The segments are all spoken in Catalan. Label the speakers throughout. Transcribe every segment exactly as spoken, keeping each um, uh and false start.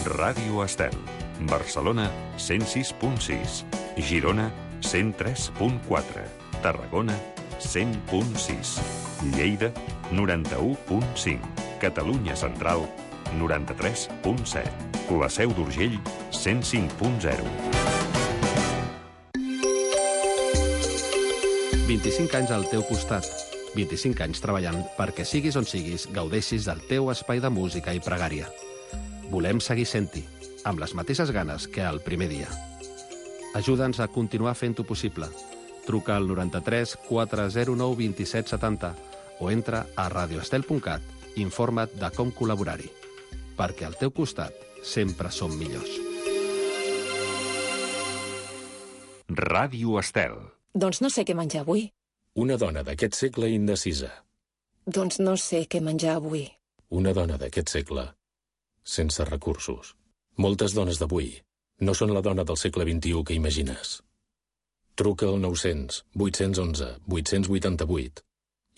Speaker 1: Ràdio Estel. Barcelona, cent sis punt sis. Girona, cent tres punt quatre. Tarragona, cent punt sis. Lleida, noranta-u punt cinc. Catalunya Central, noranta-tres punt set. La Seu d'Urgell, cent cinc punt zero.
Speaker 2: vint-i-cinc anys al teu costat. vint-i-cinc anys treballant perquè siguis on siguis, gaudeixis del teu espai de música i pregària. Volem seguir sent-hi, amb les mateixes ganes que el primer dia. Ajuda'ns a continuar fent-ho possible. Truca al noranta-tres quatre zero nou vint-i-set setanta o entra a radioestel punt cat i informa't de com col·laborar-hi. Perquè al teu costat sempre som millors.
Speaker 1: Ràdio Estel.
Speaker 3: Doncs no sé què menjar avui.
Speaker 4: Una dona d'aquest segle indecisa.
Speaker 3: Doncs no sé què menjar avui.
Speaker 4: Una dona d'aquest segle sense recursos. Moltes dones d'avui no són la dona del segle vint-i-u que imagines. Truca al nou-cents vuit-cents onze vuit-cents vuitanta-vuit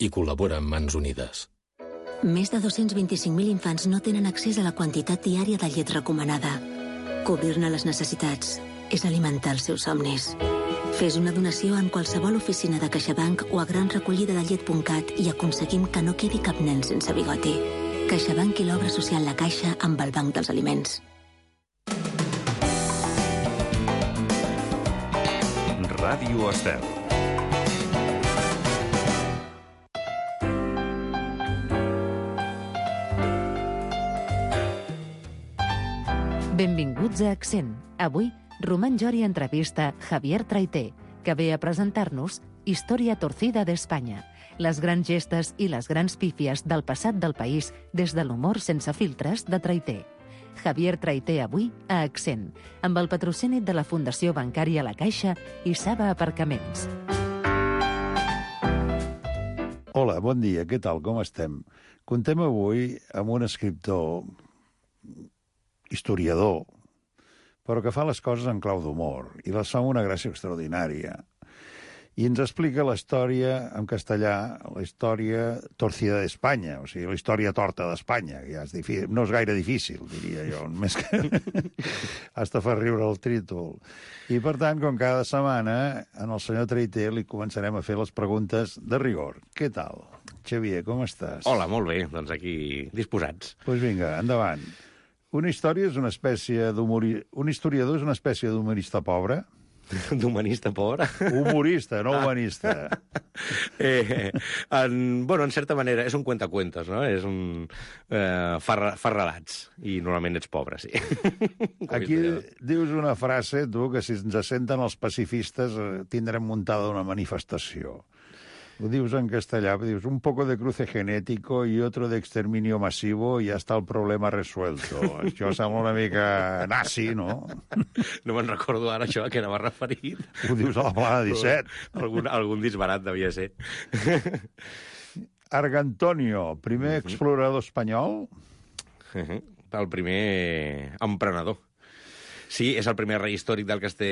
Speaker 4: i col·labora amb Mans Unides.
Speaker 5: Més de dos-cents vint-i-cinc mil infants no tenen accés a la quantitat diària de llet recomanada. Cobrir-ne les necessitats és alimentar els seus somnis. Fes una donació en qualsevol oficina de CaixaBank o a gran recollida de llet punt cat i aconseguim que no quedi cap nen sense bigoti. CaixaBank i l'obra social La Caixa amb el Banc dels Aliments.
Speaker 1: Ràdio Estel.
Speaker 6: Benvinguts a Accent. Avui, Román Jori entrevista Javier Traité, que ve a presentar-nos Història torcida d'Espanya, les grans gestes i les grans pífies del passat del país des de l'humor sense filtres de Traité. Javier Traité avui a Accent, amb el patrocini de la Fundació Bancària La Caixa i Saba Aparcaments.
Speaker 7: Hola, bon dia, què tal, com estem? Contem avui amb un escriptor, historiador, però que fa les coses en clau d'humor, i les fa amb una gràcia extraordinària. I ens explica la història en castellà, la història torcida d'Espanya, o sigui, la història torta d'Espanya, que ja és difícil, no és gaire difícil, diria jo, més que hasta fa riure el títol. I, per tant, com cada setmana, en el senyor Traité li començarem a fer les preguntes de rigor. Què tal? Xavier, com estàs?
Speaker 8: Hola, molt bé, doncs aquí disposats.
Speaker 7: Doncs pues vinga, endavant. Una història és una espècie d'humorista... Un historiador és una espècie d'humorista pobre?
Speaker 8: D'humanista pobre?
Speaker 7: Humorista, no humanista.
Speaker 8: eh, en, bueno, en certa manera, és un cuentacuentos, no? És un... Eh, fa, fa relats, i normalment ets pobre, sí.
Speaker 7: Aquí dius una frase, tu, que si ens senten els pacifistes eh, tindrem muntada una manifestació. Ho dius en castellà, dius, un poco de cruce genético y otro de exterminio masivo y ya está el problema resuelto. Això sembla una mica nazi, no?
Speaker 8: No me'n recordo ara això a què anava referit.
Speaker 7: Ho dius a la plana disset.
Speaker 8: Algun, algun disbarat devia ser.
Speaker 7: Argantonio, primer explorador espanyol?
Speaker 8: El primer emprenedor. Sí, és el primer rei històric del que es té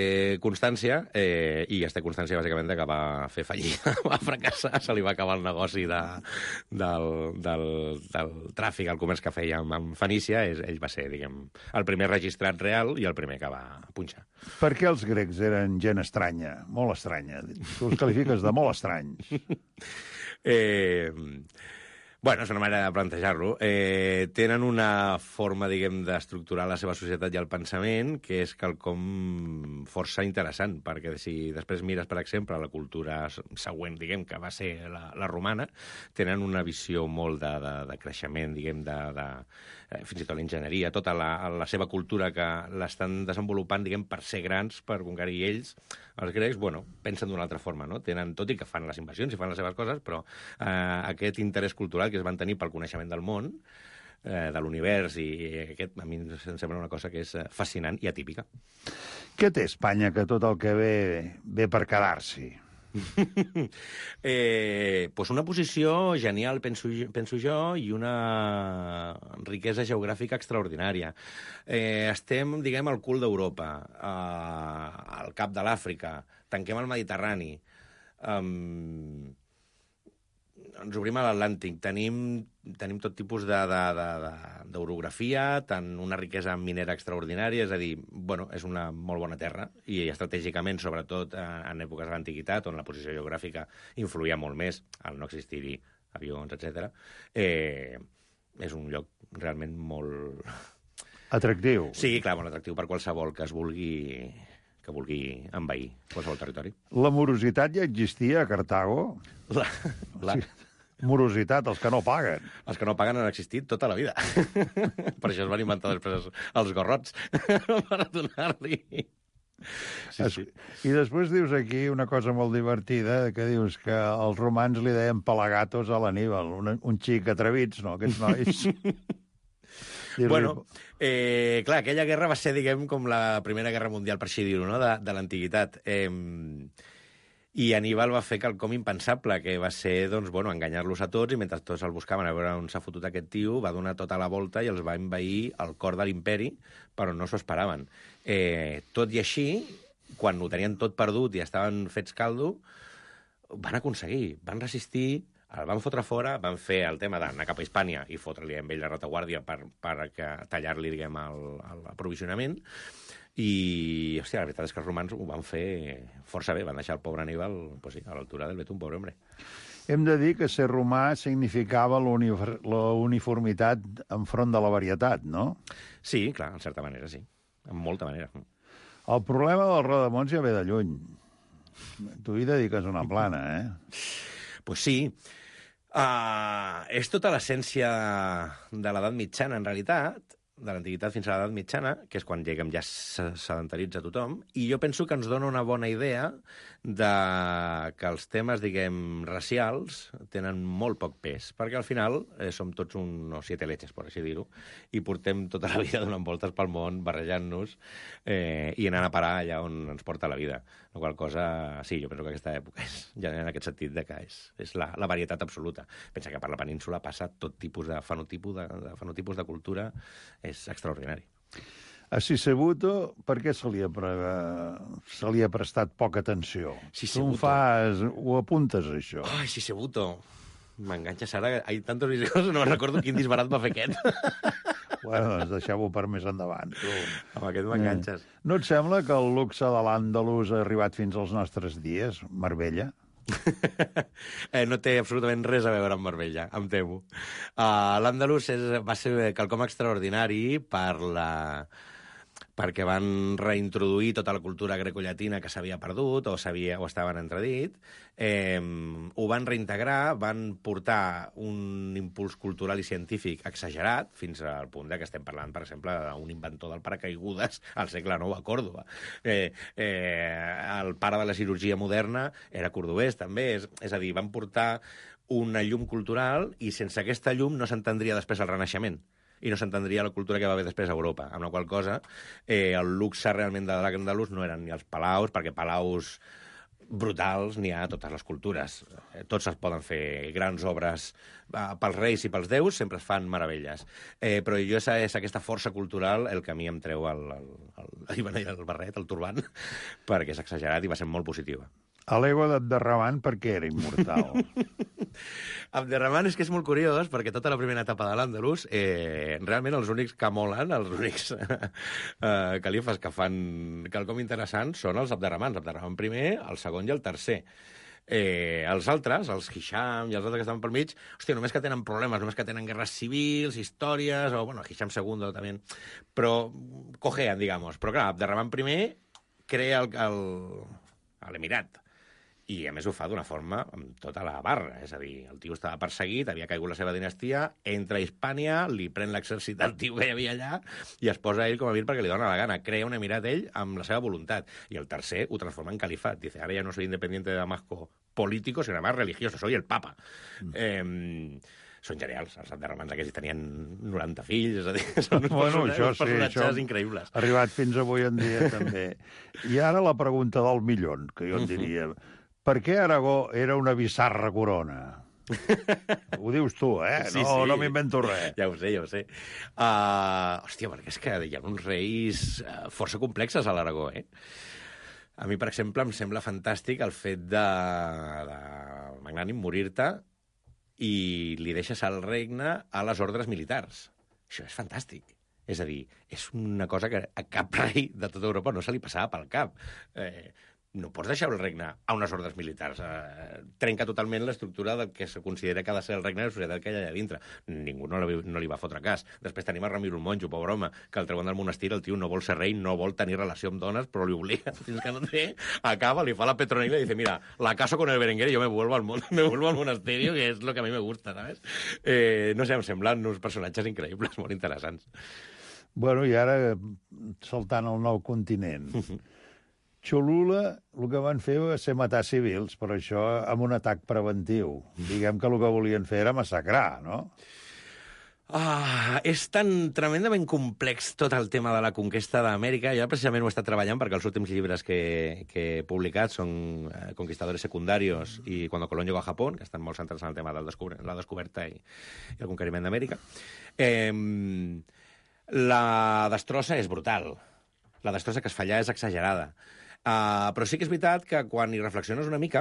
Speaker 8: constància, eh, i es té constància, bàsicament, que va fer fallida, va fracassar, se li va acabar el negoci de, del, del, del tràfic, el comerç que feia amb, amb Fenícia. És, ell va ser, diguem, el primer registrat real i el primer que va punxar.
Speaker 7: Per què els grecs eren gent estranya, molt estranya? Tu els qualifiques de molt estranys.
Speaker 8: eh... Bueno, és una manera de plantejar-lo. Eh, tenen una forma, diguem, d'estructurar la seva societat i el pensament que és quelcom força interessant, perquè si després mires, per exemple, la cultura següent, diguem, que va ser la, la romana, tenen una visió molt de, de, de creixement, diguem, de, de, eh, fins i tot l'enginyeria, tota la, la seva cultura que l'estan desenvolupant, diguem, per ser grans, per conquerir ells. Els grecs, bueno, pensen d'una altra forma, no? Tenen, tot i que fan les invasions i fan les seves coses, però eh, aquest interès cultural que es van tenir pel coneixement del món, eh, de l'univers, i aquest a mi em sembla una cosa que és fascinant i atípica.
Speaker 7: Què té Espanya que tot el que ve ve per quedar-s'hi?
Speaker 8: eh, pues una posició genial, penso, penso jo, i una riquesa geogràfica extraordinària. Eh, estem, diguem, al cul d'Europa, eh, al cap de l'Àfrica, tanquem el Mediterrani. Um, ens obrim a l'Atlàntic, tenim, tenim tot tipus d'orografia, tant una riquesa minera extraordinària, és a dir, bueno, és una molt bona terra, i estratègicament, sobretot en èpoques de l'antiguitat, on la posició geogràfica influïa molt més, al no existir-hi avions, etcètera, eh, és un lloc realment molt...
Speaker 7: Atractiu.
Speaker 8: Sí, clar, molt atractiu per qualsevol que es vulgui... que vulgui envair qualsevol territori.
Speaker 7: La morositat ja existia a Cartago?
Speaker 8: La, la...
Speaker 7: Sí. Morositat, els que no paguen.
Speaker 8: Els que no paguen han existit tota la vida. Per això es van inventar després els gorrots, per donar-li...
Speaker 7: Sí, sí. I després dius aquí una cosa molt divertida, que dius que els romans li deien pelagatos a l'Aníbal, un, un xic atrevits, no?, aquests nois.
Speaker 8: Bueno, eh, clar, aquella guerra va ser, diguem, com la Primera Guerra Mundial, per així dir-ho, no?, de, de l'antiguitat. Eh, I Aníbal va fer quelcom impensable, que va ser, doncs, bueno, enganyar-los a tots, i mentre tots el buscaven a veure on s'ha fotut aquest tio, va donar tota la volta i els va envair el cor de l'imperi, però no s'ho esperaven. Eh, tot i així, quan ho tenien tot perdut i estaven fets caldo, van aconseguir, van resistir, el van fotre fora, van fer el tema d'anar cap a Hispània i fotre-li amb ell la retaguardia per, per tallar-li, diguem, l'aprovisionament. I, hòstia, la veritat és que els romans ho van fer força bé, van deixar el pobre Aníbal, pues sí, a l'altura del betún, pobre hombre.
Speaker 7: Hem de dir que ser romà significava la uniformitat enfront de la varietat, no?
Speaker 8: Sí, clar, en certa manera, sí. En molta manera.
Speaker 7: El problema del rodamons ja ve de lluny. Tu hi dediques una plana, eh?
Speaker 8: Pues sí. Uh, és tota l'essència de l'edat mitjana, en realitat, de l'antiguitat fins a l'edat mitjana, que és quan, diguem, ja sedentaritza tothom, i jo penso que ens dona una bona idea de que els temes, diguem, racials tenen molt poc pes, perquè al final eh, som tots unos siete leches, per així dir-ho, i portem tota la vida donant voltes pel món, barrejant-nos eh, i anant a parar allà on ens porta la vida. La qual cosa, sí, jo penso que aquesta època és, ja en aquest sentit, de que és, és la, la varietat absoluta. Pensa que per la península passa tot tipus de fenotipus de, de, fenotipus de cultura, és extraordinari.
Speaker 7: A Sisebuto, per què se li ha, pre... se li ha prestat poca atenció?
Speaker 8: Sisebuto.
Speaker 7: Tu fas... ho apuntes, això.
Speaker 8: Ai, Sisebuto. M'enganxes ara. Hay tantos videos, no recordo quin disbarat va fer aquest.
Speaker 7: Bueno, doncs deixeu-ho per més endavant. Tu.
Speaker 8: Amb aquest m'enganxes.
Speaker 7: Eh. No et sembla que el luxe de l'Àndalus ha arribat fins als nostres dies, Marbella?
Speaker 8: eh, no té absolutament res a veure amb Marbella, em temo. Uh, L'Àndalus va ser quelcom extraordinari per la... perquè van reintroduir tota la cultura grecollatina que s'havia perdut o, o estava en entredit, eh, ho van reintegrar, van portar un impuls cultural i científic exagerat, fins al punt de que estem parlant, per exemple, d'un inventor del paracaigudes al segle nou a Còrdova. Eh, eh, el pare de la cirurgia moderna era cordobès, també. És, és a dir, van portar una llum cultural i sense aquesta llum no s'entendria després el Renaixement i no s'entendria la cultura que va haver després a Europa, amb la qual cosa eh, el luxe realment de l'Àndalus no eren ni els palaus, perquè palaus brutals n'hi ha a totes les cultures. Eh, tots es poden fer grans obres eh, pels reis i pels déus, sempre es fan meravelles. Eh, però jo és, és aquesta força cultural el que a mi em treu el, el, el, el, el barret, el turbant, perquè és exagerat i va ser molt positiva.
Speaker 7: A l'ego d'Abderrahman per què era immortal?
Speaker 8: Abderrahman és que és molt curiós, perquè tota la primera etapa de l'Àndalus, eh, realment els únics que molen, els únics eh, califes que fan quelcom interessant són els Abderrahmans. Abderrahman primer, el segon i el tercer. Eh, els altres, els Hisham i els altres que estaven pel mig, hòstia, només que tenen problemes, només que tenen guerres civils, històries, o, bueno, Hisham segundo també, però cojean, digamos. Però, clar, Abderrahman primer crea l'Emirat, i a més ho fa d'una forma amb tota la barra, és a dir, el tio estava perseguit, havia caigut la seva dinastia, entra a Hispània, li pren l'exèrcit del tio que hi havia allà i es posa ell com a vir perquè li dona la gana, crea un emirat ell amb la seva voluntat, i el tercer ho transforma en califat, dice, ara ja no soy independiente de Damasco político, sino además religioso, soy el papa. Mm. Eh, són genials, els Abderrahmans aquests tenien noranta fills, és a dir, són uns,
Speaker 7: bueno,
Speaker 8: personatges,
Speaker 7: això,
Speaker 8: uns personatges
Speaker 7: sí,
Speaker 8: increïbles.
Speaker 7: Arribat fins avui en dia, també. I ara la pregunta del millón, que jo en diria... Per què Aragó era una bizarra corona? Ho dius tu, eh?
Speaker 8: Sí,
Speaker 7: no,
Speaker 8: sí.
Speaker 7: No m'invento res.
Speaker 8: Ja ho sé, ja ho sé. Uh, hòstia, perquè és que hi ha uns reis uh, força complexes a l'Aragó, eh? A mi, per exemple, em sembla fantàstic el fet de, de Magnànim morir-te i li deixes el regne a les ordres militars. Això és fantàstic. És a dir, és una cosa que a cap rei de tota Europa no se li passava pel cap. Eh, no pots deixar el regne a unes ordres militars. Eh, trenca totalment l'estructura del que se considera que ha de ser el regne de la societat que hi ha allà dintre. Ningú no li, no li va fotre cas. Després tenim a Ramiro el monjo, pobre home, que el treuen del monestir, el tio no vol ser rei, no vol tenir relació amb dones, però li obliga, fins que no té, acaba, li fa la Petronila i dice, mira, la caso con el Berenguer y yo me vuelvo al, mon me vuelvo al monasterio, que és lo que a mi me gusta, ¿sabes? Eh, no sé, em semblen uns personatges increïbles, molt interessants.
Speaker 7: Bueno, i ara, saltant al nou continent, Cholula, el que van fer va ser matar civils, però això amb un atac preventiu. Diguem que el que volien fer era massacrar, no?
Speaker 8: Ah, és tan tremendament complex tot el tema de la conquesta d'Amèrica. Jo precisament ho he estat treballant perquè els últims llibres que, que he publicat són eh, Conquistadores secundarios i Cuando Colón llegó a Japón, que estan molt centrats en el tema de la descoberta i, i el conqueriment d'Amèrica. Eh, la destrossa és brutal. La destrossa que es fa allà és exagerada. Uh, però sí que és veritat que quan hi reflexiones una mica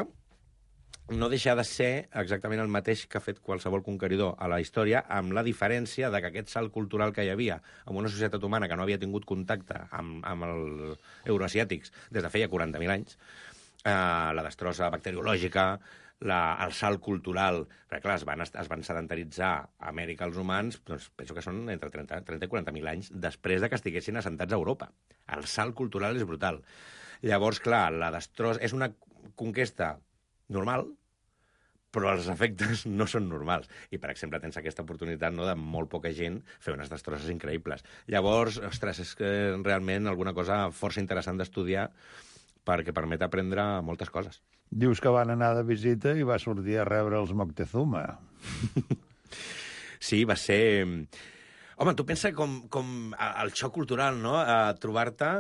Speaker 8: no deixa de ser exactament el mateix que ha fet qualsevol conqueridor a la història, amb la diferència de que aquest salt cultural que hi havia en una societat humana que no havia tingut contacte amb, amb els euroasiàtics des de feia quaranta mil anys, uh, la destrossa bacteriològica, la, el salt cultural, perquè clar, es van, es van sedentaritzar a Amèrica els humans, doncs penso que són entre trenta i quaranta mil anys després de que estiguessin assentats a Europa. El salt cultural és brutal. Llavors, clar, la destrossa és una conquesta normal, però els efectes no són normals. I, per exemple, tens aquesta oportunitat, no, de molt poca gent fer unes destrosses increïbles. Llavors, ostres, és que realment alguna cosa força interessant d'estudiar perquè permet aprendre moltes coses.
Speaker 7: Dius que van anar de visita i va sortir a rebre els Moctezuma.
Speaker 8: Sí, va ser... Home, tu pensa com, com el xoc cultural, no?, a trobar-te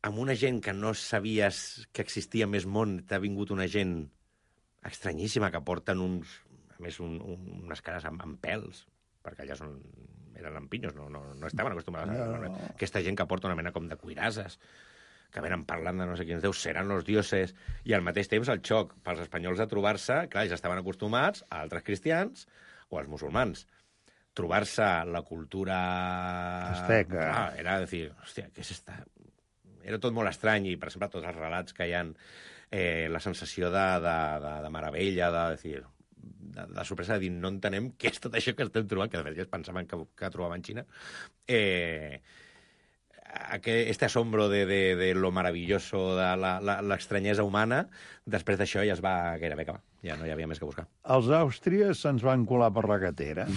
Speaker 8: amb una gent que no sabies que existia més món, t'ha vingut una gent estranyíssima que porten uns, a més, un, un, unes cares amb, amb pèls, perquè allà són, eren lampinyos, no, no, no estaven acostumats a... No, no. Aquesta gent que porta una mena com de cuirasses, que venen parlant de no sé quins déus, seran los dioses, i al mateix temps el xoc pels espanyols de trobar-se, clar, ells estaven acostumats a altres cristians o als musulmans. Trobar-se la cultura...
Speaker 7: Azteca.
Speaker 8: Ah, era dir, hòstia, què és esta... Era tot molt estrany i, per exemple, tots els relats que hi ha, eh, la sensació de, de, de, de meravella, de, de, de, de sorpresa, de dir, no entenem què és tot això que estem trobant, que de fet ja pensaven que, que trobaven Xina. Eh, este asombro de, de, de lo maravilloso, de l'estranyesa humana, després d'això ja es va gairebé acabar. Ja no hi havia més que buscar.
Speaker 7: Els àustries se'ns van colar per la gatera.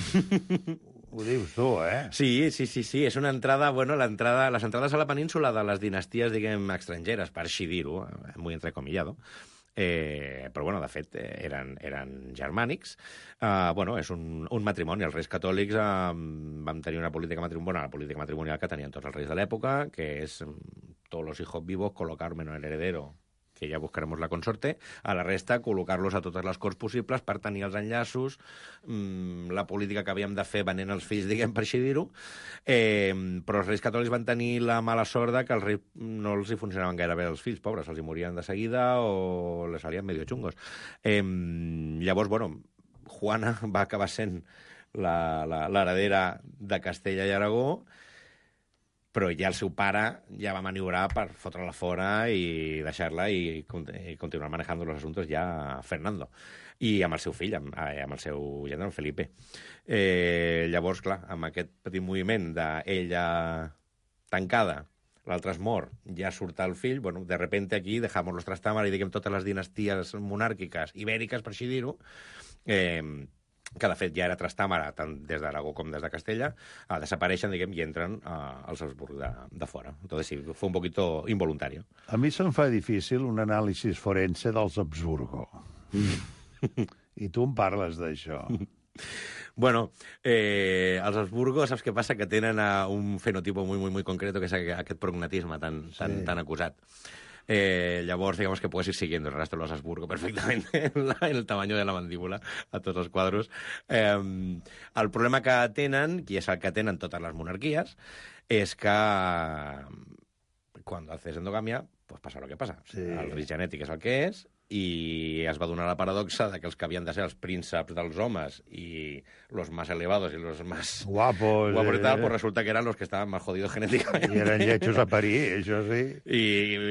Speaker 7: Ho dius tu, eh?
Speaker 8: Sí, sí, sí, sí. És una entrada, bueno, l'entrada, les entrades a la península de les dinasties, diguem, estrangeres, per així dir-ho, muy entrecomillado, eh, però, bueno, de fet, eren, eren germànics. Uh, bueno, és un, un matrimoni. Els reis catòlics uh, van tenir una política matrimonial, la política matrimonial que tenien tots els reis de l'època, que és todos los hijos vivos colocar menos el heredero, que ja buscaremos la consorte, a la resta col·locar-los a totes les corts possibles per tenir els enllaços, mmm, la política que havíem de fer venent els fills, diguem, per així dir-ho, eh, però els reis catòlics van tenir la mala sort de que els reis no els hi funcionaven gaire bé els fills, pobres, els hi morien de seguida o les salien medio xungos. Eh, llavors, bueno, Juana va acabar sent l'heredera de Castella i Aragó, però ja el seu pare ja va maniobrar per fotre-la fora i deixar-la i, i continuar manejant els assumptes ja Fernando. I amb el seu fill, amb, amb el seu gendre, el Felipe. Eh, llavors, clar, amb aquest petit moviment d'ella tancada, l'altre es mor, ja surt el fill, bueno, de repente aquí dejamos los Trastámara i diguem totes les dinasties monàrquiques ibèriques, per així dir-ho, eh, que de fet ja era Trastàmara, tant des d'Aragó com des de Castella, uh, desapareixen, diguem, i entren uh, als Habsburg de, de fora. Entonces sí, fue un poquito involuntario.
Speaker 7: A mi se'm fa difícil un anàlisi forense dels Habsburgo. I tu em parles d'això.
Speaker 8: Bueno, eh, els Habsburgo, saps què passa? Que tenen uh, un fenotipo muy, muy, muy concreto, que és aquest prognatisme tan, tan, sí. tan acusat. Eh, llavors, digamos que puedes ir siguiendo el rastro de los Habsburgo perfectamente en, la, en el tamaño de la mandíbula a tots els quadros. Eh, el problema que tenen, i és el que tenen totes les monarquies, és que quan haces endogamia, pues passa el que passa. Sí. El risc genètic és el que és i es va donar la paradoxa de que els que havien de ser els prínceps dels homes i los más elevados i los más
Speaker 7: guapos,
Speaker 8: guapos
Speaker 7: eh?
Speaker 8: y tal, pues resulta que eran los que estaven más jodidos genéticamente.
Speaker 7: I eren lletjos a parir, això sí.
Speaker 8: I,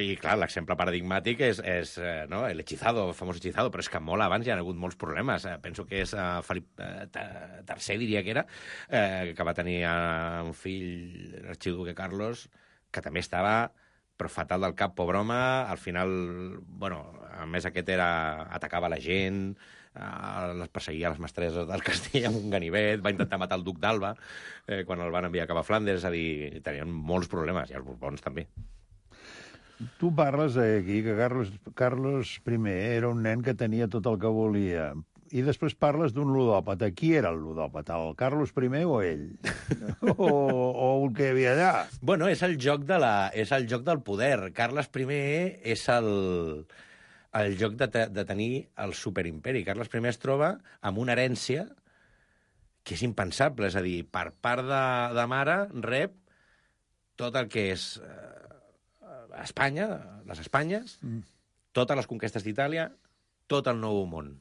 Speaker 8: i clar, l'exemple paradigmàtic és, és eh, no? el hechizado, el famós hechizado, però és que molt abans hi ha hagut molts problemes. Eh, penso que és uh, Felip uh, tercer, diria que era, eh, que va tenir uh, un fill, l'arxiduque Carlos, que també estava però fatal del cap, pobre home. Al final, bueno, a més aquest era, atacava la gent, eh, les perseguia les mestresses del castell amb un ganivet, va intentar matar el duc d'Alba eh, quan el van enviar cap a Flandes, és a dir, tenien molts problemes, i els Borbons també.
Speaker 7: Tu parles aquí que Carlos, Carlos I era un nen que tenia tot el que volia, i després parles d'un ludòpata. Qui era el ludòpata, el Carlos I o ell? o, o el que hi havia allà?
Speaker 8: Bueno, és el joc, de la, és el joc del poder. Carles I és el, el joc de, te, de tenir el superimperi. Carles I es troba amb una herència que és impensable, és a dir, per part de, de mare rep tot el que és eh, Espanya, les Espanyes, mm. totes les conquestes d'Itàlia, tot el Nou Món.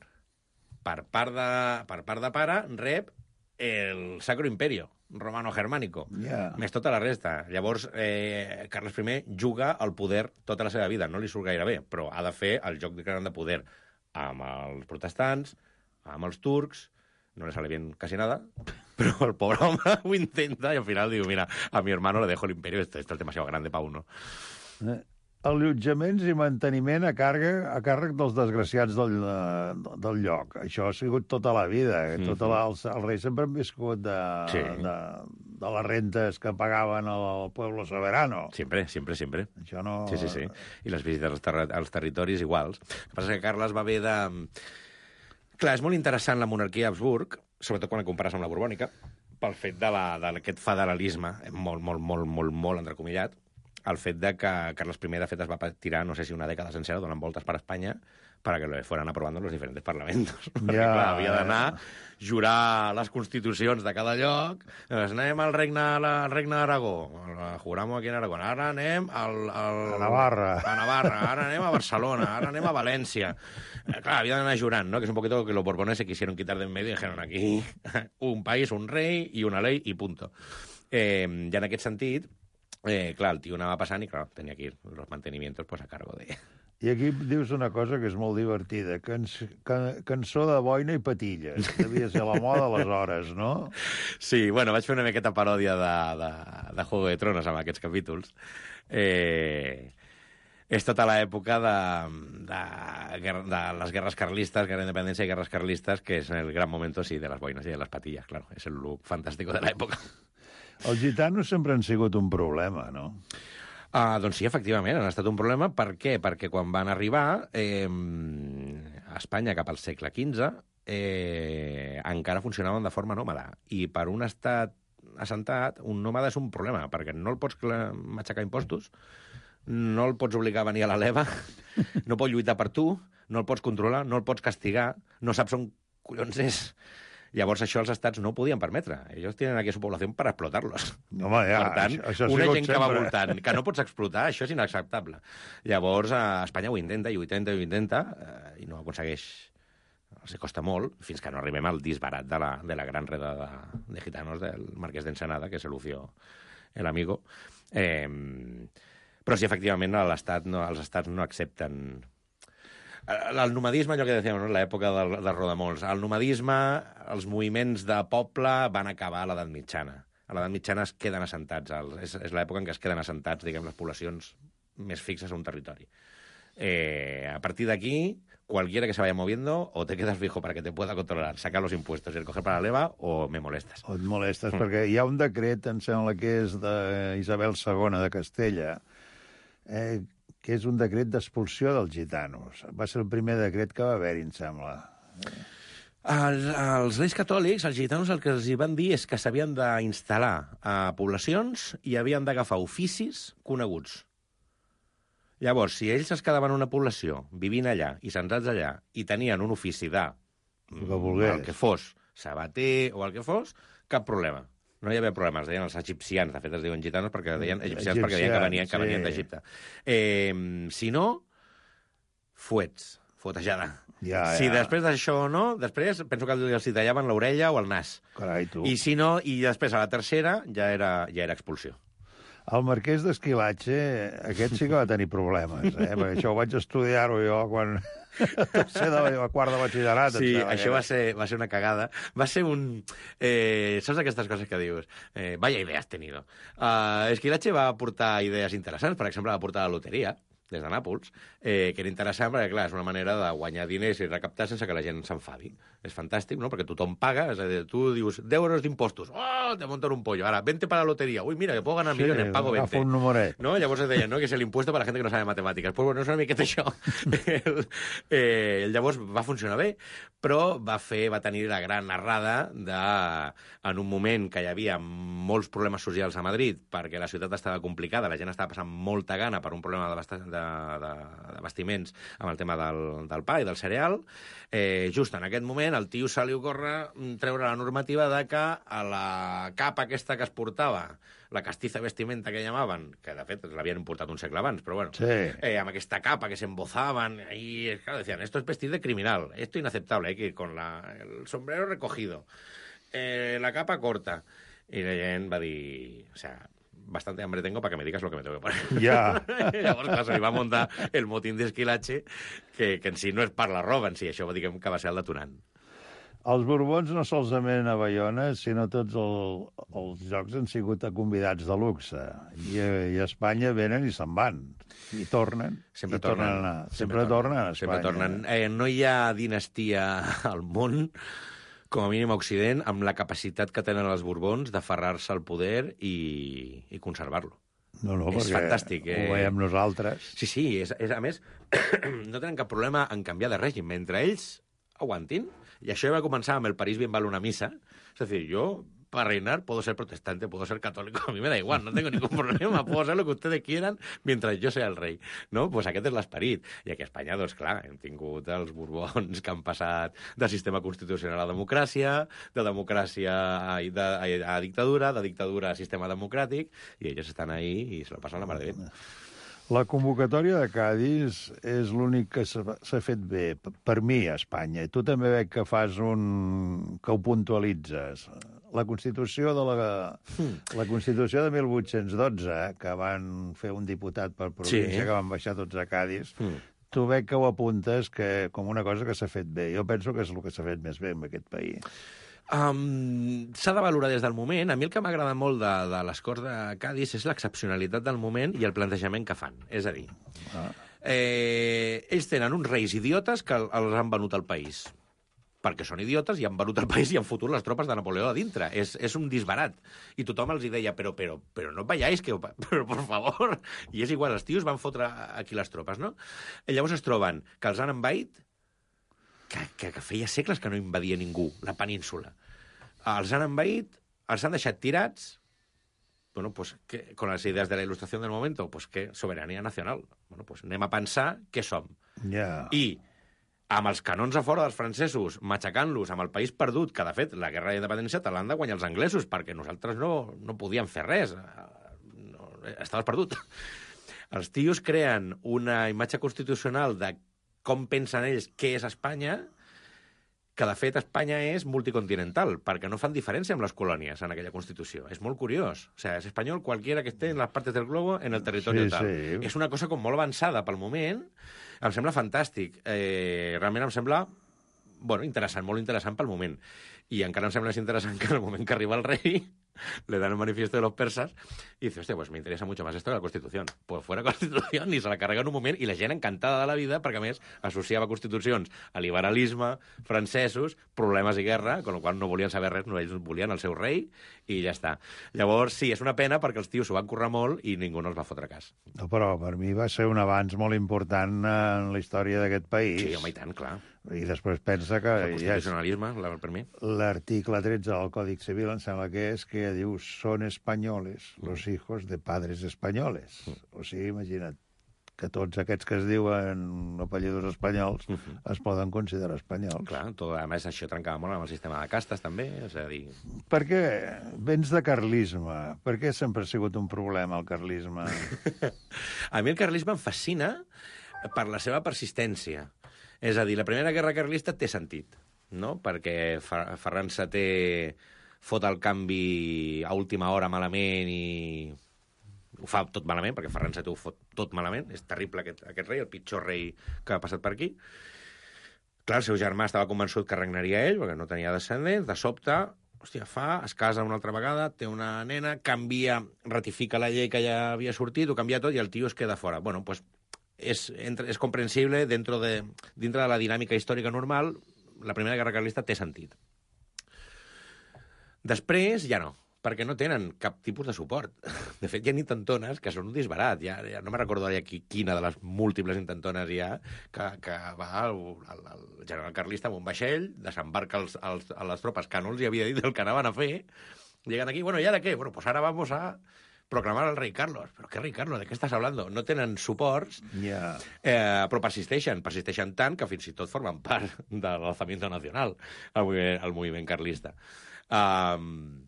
Speaker 8: Per part de, per part de pare, rep el Sacro Imperio romano-germànico,
Speaker 7: yeah.
Speaker 8: més tota la resta. Llavors, eh, Carles I juga al poder tota la seva vida. No li surt gaire bé, però ha de fer el joc de gran de poder amb els protestants, amb els turcs. No le sale bien casi nada, però el pobre home ho intenta i al final diu, mira, a mi hermano le dejo el imperio, esto, esto es demasiado grande para uno.
Speaker 7: Eh. Allotjaments i manteniment a càrrec, a càrrec dels desgraciats del, del lloc. Això ha sigut tota la vida. Mm-hmm. Tota la, els, els reis sempre han viscut de, sí. de, de les rentes que pagaven al pueblo soberano.
Speaker 8: Sempre, sempre, sempre.
Speaker 7: Això no...
Speaker 8: Sí, sí, sí. I les visites als, ter als territoris iguals. El que passa és que Carles va haver de... Clar, és molt interessant la monarquia Habsburg, sobretot quan la compares amb la borbònica, pel fet d'aquest federalisme, molt, molt, molt, molt, molt entrecomillat, el fet de que Carles I, de fet, es va tirar, no sé si una dècada sencera, donant voltes per Espanya para que lo fueran aprobando los diferentes parlamentos. Perquè, ja, clar, havia d'anar, jurar les constitucions de cada lloc, doncs anem al regne, al regne d'Aragó, juramos aquí en Aragó, ara anem al, al,
Speaker 7: a Navarra.
Speaker 8: A Navarra, ara anem a Barcelona, ara anem a València. Eh, clar, havia d'anar jurant, ¿no? Que es un poquito lo que los borbones se quisieron quitar de en medio y dijeron aquí un país, un rei i una ley i punto. Eh, ja en aquest sentit, Eh, clar, el tio anava passant i, clar, tenia que ir los mantenimientos pues, a cargo de...
Speaker 7: I aquí dius una cosa que és molt divertida. Cans can cançó de boina i patilles. Devia ser la moda aleshores, no?
Speaker 8: Sí, bueno, vaig fer una miqueta paròdia de, de, de Juego de Tronos amb aquests capítols. Eh... És tota l'època de, de, de les guerres carlistes, guerra d'independència i guerres carlistes, que és el gran moment, sí, de les boines i de les patilles, claro. És el look fantàstic de l'època.
Speaker 7: Els gitanos sempre han sigut un problema, no?
Speaker 8: Uh, doncs sí, efectivament, han estat un problema. Per què? Perquè quan van arribar eh, a Espanya cap al segle quinze eh, encara funcionaven de forma nòmada. I per un estat assentat, un nòmada és un problema, perquè no el pots matxacar impostos, no el pots obligar a venir a la leva, no pot lluitar per tu, no el pots controlar, no el pots castigar, no saps on collons és... Llavors, això els estats no ho podien permetre. Ells tenen aquí a su població per explotar-los.
Speaker 7: Home, ja,
Speaker 8: per tant,
Speaker 7: això, això
Speaker 8: una gent
Speaker 7: sempre.
Speaker 8: que va voltant, que no pots explotar, això és inacceptable. Llavors, a Espanya ho intenta, i ho intenta, i ho intenta, eh, i no ho aconsegueix. Els costa molt, fins que no arribem al disbarat de la, de la gran reda de, de gitanos del marquès d'Ensenada, que és Lucio el amigo. Eh, però sí, efectivament, l'estat no, els estats no accepten... El nomadisme, allò que dèiem, no? L'època del, del Rodamolts. El nomadisme, els moviments de poble van acabar a l'edat mitjana. A l'edat mitjana es queden assentats. El, és és l'època en què es queden assentats, diguem, les poblacions més fixes a un territori. Eh, a partir d'aquí, cualquiera que se vaya moviendo, o te quedas fijo para que te pueda controlar, sacar los impuestos y el coger para la leva, o me molestes.
Speaker 7: O et molestes, mm. perquè hi ha un decret, em sembla que és d'Isabel segona de Castella, eh, que és un decret d'expulsió dels gitanos. Va ser el primer decret que va haver-hi, em sembla.
Speaker 8: Els, els reis catòlics, els gitanos, el que els hi van dir és que s'havien d'instal·lar a poblacions i havien d'agafar oficis coneguts. Llavors, si ells es quedaven en una població, vivint allà i centrats allà, i tenien un ofici de...
Speaker 7: El que volgués.
Speaker 8: El que fos, sabater o el que fos, cap problema. No hi havia problemes, deien els egipcians, de fet es diuen gitanos perquè deien egipcians, perquè deien que venien, que venien sí. d'Egipte. Eh, si no, fuets. fotejada.
Speaker 7: Ja,
Speaker 8: si
Speaker 7: ja.
Speaker 8: després d'això o no, després penso que els hi tallaven l'orella o el nas.
Speaker 7: Carai, tu.
Speaker 8: I si no, i després a la tercera ja era, ja era expulsió.
Speaker 7: El marquès d'Esquilatge, aquest sí que va tenir problemes, eh? Perquè això ho vaig estudiar-ho jo quan... Tercer de la quart de batxillerat.
Speaker 8: Sí, això va ser, va ser una cagada. Va ser un... Eh, saps aquestes coses que dius? Eh, vaya idea has tenido. Uh, Esquilache va aportar idees interessants. Per exemple, va aportar la loteria des de Nàpols, eh, que era interessant perquè, clar, és una manera de guanyar diners i recaptar sense que la gent s'enfadi. És fantàstic, no?, perquè tothom paga, és a dir, tu dius deu euros d'impostos, oh, te montan un pollo, ara, vente para la lotería, uy, mira, que puedo ganar
Speaker 7: Sí,
Speaker 8: millones, pago veinte.
Speaker 7: agafa un numeret.
Speaker 8: No? Llavors es deia, no?, que és l'impuesto per la gent que no sabe matemàtiques. Pues bueno, és una miqueta això. el, eh, llavors va funcionar bé, però va fer, va tenir la gran errada de, en un moment que hi havia molts problemes socials a Madrid, perquè la ciutat estava complicada, la gent estava passant molta gana per un problema de, bast de, de, de vestiments amb el tema del, del pa i del cereal, eh, just en aquest moment el tio se li ocorre treure la normativa de que a la capa aquesta que es portava, la castiza vestimenta que llamaven, que de fet l'havien importat un segle abans, però bueno,
Speaker 7: Sí.
Speaker 8: eh, amb aquesta capa que s'embozaven, i claro, decían, esto es vestir de criminal, esto inaceptable, hay que ir con la, el sombrero recogido, eh, la capa corta. I la gent va dir, o sea, bastante hambre tengo para que me digas lo que me tengo que poner.
Speaker 7: Ja.
Speaker 8: Llavors, clar, se li va muntar el motín d'Esquilache, que, que en si no és per la roba, en si això diguem que va ser el detonant.
Speaker 7: Els Borbons no solament a Bayona, sinó tots el, els jocs han sigut convidats de luxe. I, I a Espanya venen i se'n van. I tornen.
Speaker 8: Sempre
Speaker 7: i tornen.
Speaker 8: tornen.
Speaker 7: a anar. Sempre, sempre tornen a Espanya.
Speaker 8: Sempre tornen. Eh, no hi ha dinastia al món, com a mínim a Occident, amb la capacitat que tenen els Borbons d'aferrar-se al poder i, i conservar-lo.
Speaker 7: No, no,
Speaker 8: És
Speaker 7: perquè
Speaker 8: fantàstic, eh?
Speaker 7: ho veiem nosaltres.
Speaker 8: Sí, sí, és, és, a més, no tenen cap problema en canviar de règim. Mentre ells aguantin, y això ja va començar amb el París bien vale una misa, es decir, yo para reinar puedo ser protestante, puedo ser católico, a mí me da igual, no tengo ningún problema, puedo ser lo que ustedes quieran mientras yo sea el rei, no? Pues aquest és l'esperit. I aquí a Espanya, doncs clar, hem tingut els Borbons que han passat de sistema constitucional a democràcia, de democràcia a, de, a, a dictadura, de dictadura a sistema democràtic, i ells estan ahí i se lo passen la mar de bé.
Speaker 7: La convocatòria de Cádiz és l'únic que s'ha fet bé, per mi, a Espanya. I tu també veig que fas un... que ho puntualitzes. La Constitució de la, la Constitució de mil vuit-cents dotze, que van fer un diputat per província,
Speaker 8: Sí.
Speaker 7: que van baixar tots a Cádiz,
Speaker 8: Mm.
Speaker 7: tu veig que ho apuntes que, com una cosa que s'ha fet bé. Jo penso que és el que s'ha fet més bé en aquest país.
Speaker 8: Um, S'ha de valorar des del moment. A mi el que m'agrada molt de, de les Corts de Cádiz és l'excepcionalitat del moment i el plantejament que fan. És a dir,
Speaker 7: Ah.
Speaker 8: eh, ells tenen uns reis idiotes que el- els han venut al país. Perquè són idiotes i han venut el país i han fotut les tropes de Napoleó a dintre. És, és un disbarat. I tothom els hi deia, però, però, però no veiáis, que, però por favor. I és igual, els tios van fotre aquí les tropes, no? I llavors es troben que els han envaït, que, que, que feia segles que no invadia ningú, la península. Els han envaït, els han deixat tirats, bueno, pues, que, con las ideas de la il·lustració del moment, pues, que soberania nacional. Bueno, pues, anem a pensar què som.
Speaker 7: Ja.
Speaker 8: I amb els canons a fora dels francesos, matxacant-los amb el país perdut, que, de fet, la guerra d'independència te l'han de guanyar els anglesos, perquè nosaltres no, no podíem fer res. No, estaves perdut. Els tios creen una imatge constitucional de com pensen ells què és Espanya, que, de fet, Espanya és multicontinental, perquè no fan diferència amb les colònies en aquella Constitució. És molt curiós. O sea, és espanyol cualquiera que esté en les partes del globo en el territori
Speaker 7: Sí,
Speaker 8: tal.
Speaker 7: sí.
Speaker 8: És una cosa com molt avançada pel moment. Em sembla fantàstic. Eh, realment em sembla bueno, interessant, molt interessant pel moment. I encara em sembla més interessant que en el moment que arriba el rei le dan el manifiesto de los persas y dice, hostia, pues me interesa mucho más esto que la Constitución. Pues fuera Constitución, i se la carrega en un moment, i la gent encantada de la vida, perquè a més associava constitucions a liberalisme, francesos, problemes i guerra, con lo qual no volien saber res, no, ells volien el seu rei, i ja està. Llavors, sí, és una pena perquè els tios s'ho van currar molt i ningú no els va fotre cas.
Speaker 7: No, però per mi va ser un avanç molt important en la història d'aquest país.
Speaker 8: Sí, home, i tant, clar.
Speaker 7: I després pensa que
Speaker 8: El
Speaker 7: ja és
Speaker 8: constitucionalisme, la- per mi.
Speaker 7: l'article tretze del Còdic Civil, em sembla que és, que diu són espanyoles los hijos de padres espanyoles. O sigui, imagina't que tots aquests que es diuen apellidos espanyols es poden considerar espanyols.
Speaker 8: Clar, tot, a més, això trencava molt amb el sistema de castes, també, és a dir...
Speaker 7: Per què vens de carlisme? Per què sempre ha sigut un problema el carlisme?
Speaker 8: A mi el carlisme em fascina per la seva persistència. És a dir, la Primera Guerra Carlista té sentit, no? Perquè Ferran setè fot el canvi a última hora malament i ho fa tot malament, perquè Ferran setè ho fot tot malament. És terrible aquest, aquest rei, el pitjor rei que ha passat per aquí. Clar, el seu germà estava convençut que regnaria ell, perquè no tenia descendents. De sobte, hòstia, fa, es casa una altra vegada, té una nena, canvia, ratifica la llei que ja havia sortit, ho canvia tot i el tio es queda fora. Bueno, pues és, és comprensible dentro de, dintre de la dinàmica històrica normal, la Primera Guerra Carlista té sentit. Després ja no, perquè no tenen cap tipus de suport. De fet, hi ha intentones que són un disbarat. Ja, ja no me recordo ara qui, quina de les múltiples intentones hi ha que, que va el, el, el general carlista amb un vaixell, desembarca els, els, a les tropes que no els hi havia dit el que anaven a fer, lleguen aquí, bueno, ¿y ahora qué? Bueno, pues ahora vamos a proclamar al rei Carlos. ¿Però què rei Carlos? ¿De què estàs hablando? No tenen suports,
Speaker 7: Yeah.
Speaker 8: eh, però persisteixen. Persisteixen tant que fins i tot formen part de l'alzamiento nacional, el moviment, el moviment carlista. Um,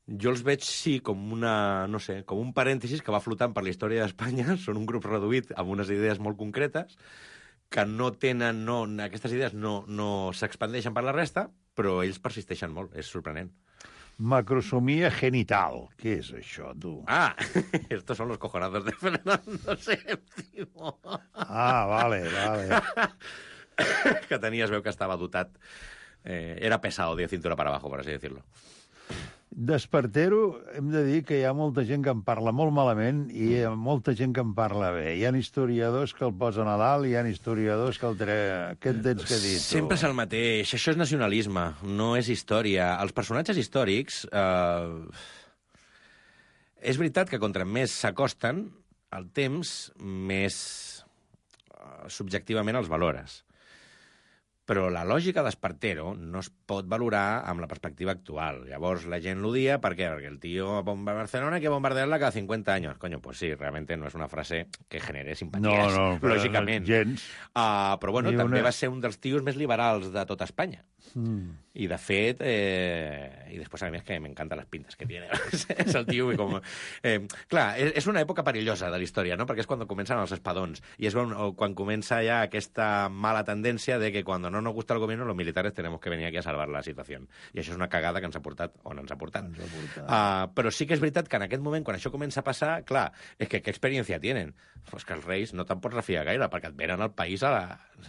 Speaker 8: jo els veig, sí, com una, no sé, com un parèntesis que va flotant per la història d'Espanya. Són un grup reduït amb unes idees molt concretes que no tenen, no, aquestes idees no, no s'expandeixen per la resta, però ells persisteixen molt, és sorprenent.
Speaker 7: Macrosomia genital. Què és això, tu?
Speaker 8: Ah, estos son los cojonazos de Fernando sèptimo.
Speaker 7: Ah, vale, vale.
Speaker 8: Que tenia, es veu que estava dotat. Eh, era pesado de cintura para abajo, por así decirlo.
Speaker 7: D'Espartero hem de dir que hi ha molta gent que en parla molt malament i hi ha molta gent que en parla bé. Hi ha historiadors que el posen a dalt i hi ha historiadors que el tre... Què en tens que dir, tu?
Speaker 8: Sempre és el mateix. Això és nacionalisme, no és història. Els personatges històrics... Eh... És veritat que contra més s'acosten al temps, més eh, subjectivament els valores. Però la lògica d'Espartero no es pot valorar amb la perspectiva actual. Llavors la gent l'odia, ¿per qué? Porque el tío bomba Barcelona hay que bombardearla cada cincuenta años. Coño, pues sí, realmente no és una frase que genere simpaties,
Speaker 7: no, no,
Speaker 8: lògicament.
Speaker 7: Gens.
Speaker 8: Uh, però bueno,
Speaker 7: Ni
Speaker 8: també
Speaker 7: una...
Speaker 8: va ser un dels tios més liberals de tota Espanya.
Speaker 7: Mm.
Speaker 8: I de fet, eh, i després a més que m'encanten les pintes que tiene. És el tio com... Eh, clar, és, és una època perillosa de la història, no? Perquè és quan comencen els espadons. I és quan, quan comença ja aquesta mala tendència de que quan no nos gusta el gobierno, los militares tenemos que venir aquí a salvar la situació. I això és una cagada que ens ha portat on ens ha portat.
Speaker 7: Ens ha portat.
Speaker 8: Uh, però sí que és veritat que en aquest moment, quan això comença a passar, clar, és que què experiència tenen? Pues que els reis no te'n pots refiar gaire, perquè et venen al país a la...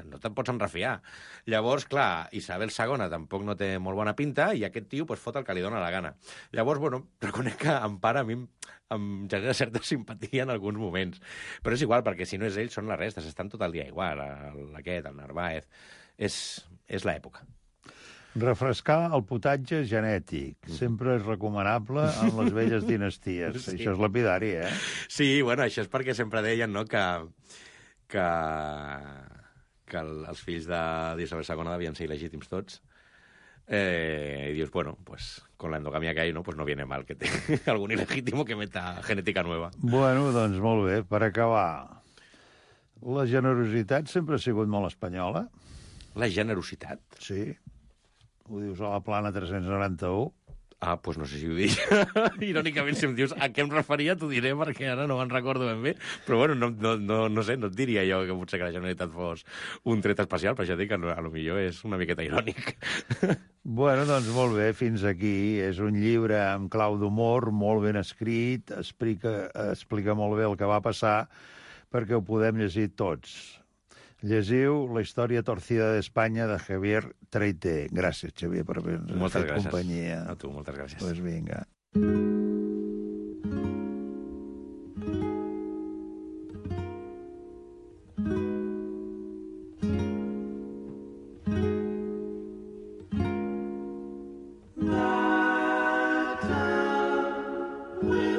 Speaker 8: no te'n pots enrefiar. Llavors, clar, Isabel segona tampoc no té molt bona pinta i aquest tio pues, fot el que li dóna la gana. Llavors, bueno, reconec que en part a mi em, em genera certa simpatia en alguns moments. Però és igual, perquè si no és ell, són les restes. Estan tot el dia igual, el, aquest, el Narváez. És, és l'època.
Speaker 7: Refrescar el potatge genètic. Sempre és recomanable en les velles dinasties.
Speaker 8: Sí.
Speaker 7: Això és lapidari, eh?
Speaker 8: Sí, bueno, això és perquè sempre deien, no?, que, que, que el, els fills d'Isabel segona devien ser il·legítims tots. Eh, y dius, bueno, pues con la endogamia que hay, ¿no? Pues no viene mal que te algún ilegítimo que meta genética nueva.
Speaker 7: Bueno, doncs molt bé. Per acabar, la generositat sempre ha sigut molt espanyola.
Speaker 8: La generositat?
Speaker 7: Sí. Ho dius a la plana tres-cents noranta-u.
Speaker 8: Ah, doncs pues no sé si ho dic. Irònicament, si em dius a què em referia, t'ho diré, perquè ara no me'n recordo ben bé. Però bueno, no, no, no, no sé, no et diria jo que potser que la Generalitat fos un tret especial, però ja dic que a lo millor és una miqueta irònic.
Speaker 7: Bueno, doncs molt bé, fins aquí. És un llibre amb clau d'humor, molt ben escrit, explica, explica molt bé el que va passar perquè ho podem llegir tots. Llegiu La història torcida d'Espanya de Javier Traité. Gràcies, Xavier, per haver-nos fet companyia.
Speaker 8: A tu, moltes gràcies.
Speaker 7: Doncs vinga.
Speaker 9: With